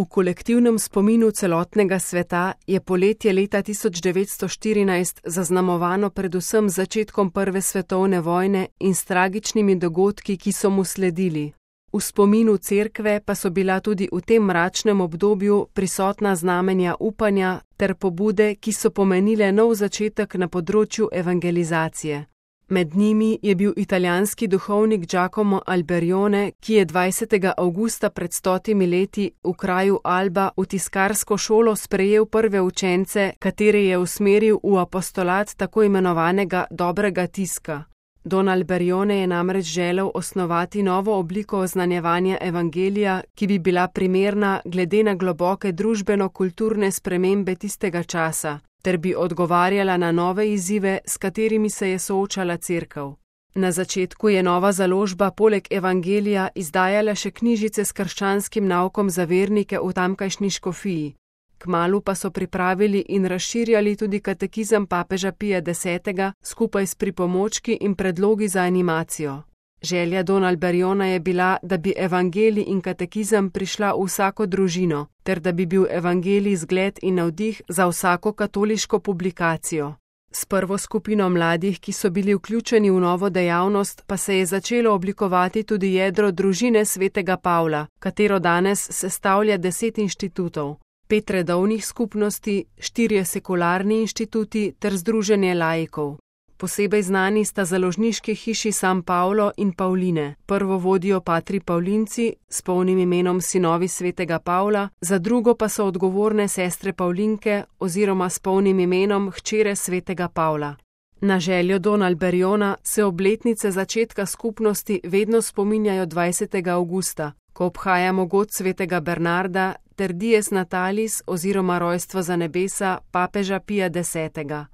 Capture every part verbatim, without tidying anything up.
V kolektivnem spominu celotnega sveta je poletje leta tisoč devetsto štirinajst zaznamovano predvsem z začetkom prve svetovne vojne in s tragičnimi dogodki, ki so mu sledili. V spominu Cerkve pa so bila tudi v tem mračnem obdobju prisotna znamenja upanja ter pobude, ki so pomenile nov začetek na področju evangelizacije. Med njimi je bil italijanski duhovnik Giacomo Alberione, ki je dvajsetega avgusta pred stotimi leti v kraju Alba v tiskarsko šolo sprejel prve učence, katere je usmeril v apostolat tako imenovanega dobrega tiska. Don Alberione je namreč želel osnovati novo obliko oznanjevanja evangelija, ki bi bila primerna glede na globoke družbeno-kulturne spremembe tistega časa, ter bi odgovarjala na nove izzive, s katerimi se je soočala Cerkev. Na začetku je nova založba poleg evangelija izdajala še knjižice s krščanskim naukom za vernike v tamkajšnji škofiji. Kmalu pa so pripravili in razširjali tudi katekizem papeža Pija desetega skupaj s pripomočki in predlogi za animacijo. Želja Don Alberiona je bila, da bi evangelij in katekizem prišla v vsako družino, ter da bi bil evangelij zgled in navdih za vsako katoliško publikacijo. S prvo skupino mladih, ki so bili vključeni v novo dejavnost, pa se je začelo oblikovati tudi jedro družine svetega Pavla, katero danes sestavlja deset inštitutov. Pet redovnih skupnosti, štirje sekularni inštituti ter združenje laikov. Posebej znani sta založniški hiši San Paolo in Pauline. Prvo vodijo patri Pavlinci s polnim imenom Sinovi svetega Pavla, za drugo pa so odgovorne sestre Pavlinke oziroma s polnim imenom Hčere svetega Pavla. Na željo Don Alberiona se obletnice začetka skupnosti vedno spominjajo dvajsetega avgusta, ko obhajamo god svetega Bernarda ter Dies Natalis oziroma rojstvo za nebesa papeža Pija desetega.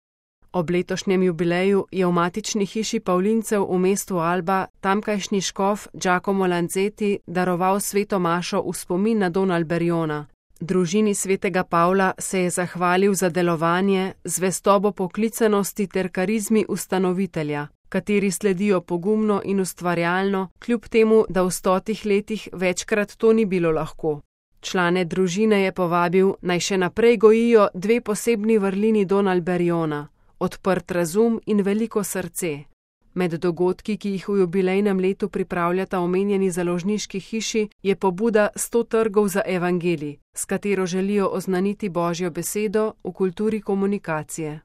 Ob letošnjem jubileju je v matični hiši Pavlincev v mestu Alba tamkajšnji škof Giacomo Lanzetti daroval sveto mašo v spomin na Don Alberiona. Družini svetega Pavla se je zahvalil za delovanje, zvestobo poklicanosti ter karizmi ustanovitelja, kateri sledijo pogumno in ustvarjalno, kljub temu, da v stotih letih večkrat to ni bilo lahko. Člane družine je povabil, naj še naprej gojijo dve posebni vrlini Don Alberiona: odprt razum in veliko srce. Med dogodki, ki jih v jubilejnem letu pripravljata omenjeni založniški hiši, je pobuda sto trgov za evangelij, s katero želijo oznaniti Božjo besedo v kulturi komunikacije.